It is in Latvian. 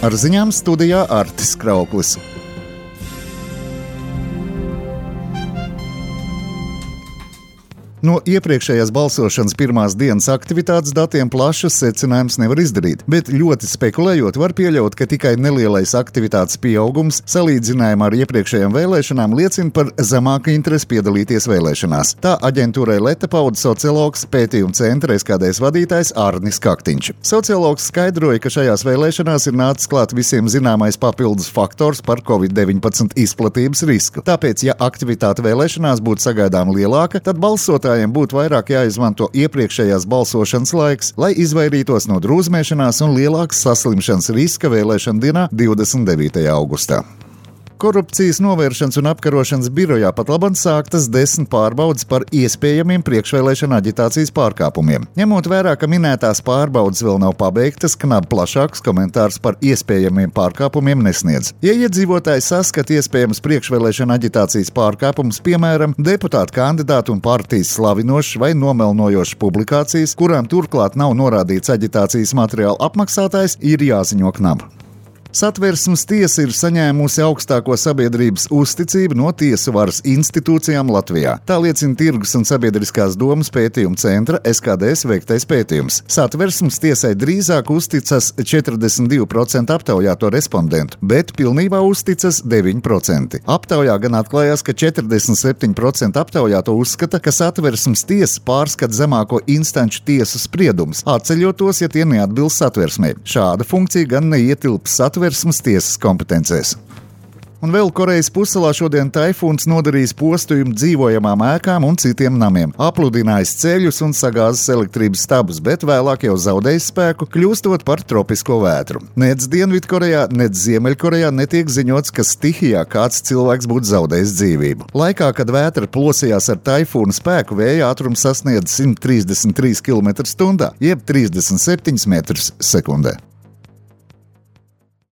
Ar ziņām studijā Artis Krauklis. No iepriekšējās balsošanas pirmās dienas aktivitātes datiem plašas secinājumus nevar izdarīt, bet ļoti spekulējot var pieļaut, ka tikai nelielais aktivitātes pieaugums salīdzinājumā ar iepriekšējām vēlēšanām liecina par zemāku interesi piedalīties vēlēšanās. Tā aģentūrai Leta pauda sociologs, pētījuma centra SKDS vadītājs Arnis Kaktiņš. Sociologs skaidroja, ka šajās vēlēšanās ir nācis klāt visiem zināmais papildus faktors par Covid-19 izplatības risku. Tāpēc, ja aktivitāte vēlēšanās būtu sagaidām lielāka, tad balsotājiem būtu vairāk jāizmanto iepriekšējās balsošanas laiks, lai izvairītos no drūzmēšanās un lielākas saslimšanas riska vēlēšana dienā 29. augustā. Korupcijas novēršanas un apkarošanas birojā pat labāk sāktas 10 pārbaudes par iespējamiem priekšvēlēšana aģitācijas pārkāpumiem. Ņemot vērā, ka minētās pārbaudes vēl nav pabeigtas, Knab plašāks komentārs par iespējamiem pārkāpumiem nesniedz. Ja iedzīvotāji saskata iespējams priekšvēlēšana aģitācijas pārkāpumus, piemēram, deputātu kandidātu un partijas slavinošas vai nomelnojošas publikācijas, kurām turklāt nav norādīts aģitācijas materiāla apmaksātājs, ir jāziņo Knab. Satversmes tiesa ir saņēmusi augstāko sabiedrības uzticību no tiesu varas institūcijām Latvijā. Tā liecina Tirgus un sabiedriskās domas pētījuma centra SKDS veiktais pētījums. Satversmes tiesai drīzāk uzticas 42% aptaujāto respondentu, bet pilnībā uzticas 9%. Aptaujā gan atklājās, ka 47% aptaujāto uzskata, ka Satversmes tiesa pārskata zemāko instanču tiesu spriedumus, atceļot tos, ja tie neatbilst satversmei. Šāda funkcija gan neietilps Satversmes tiesas kompetencēs. Un vēl Korejas pussalā šodien taifūns nodarījis postījumu dzīvojamām ēkām un citiem namiem, apludinājis ceļus un sagāzis elektrības stabus, bet vēlāk jau zaudējis spēku, kļūstot par tropisko vētru. Nec Dienvidkorejā, nec Ziemeļkorejā netiek ziņots, ka stihijā kāds cilvēks būtu zaudējis dzīvību. Laikā, kad vētra plosījās ar taifūna spēku, vēja ātrums sasniedz 133 km/h, jeb 37 m/s.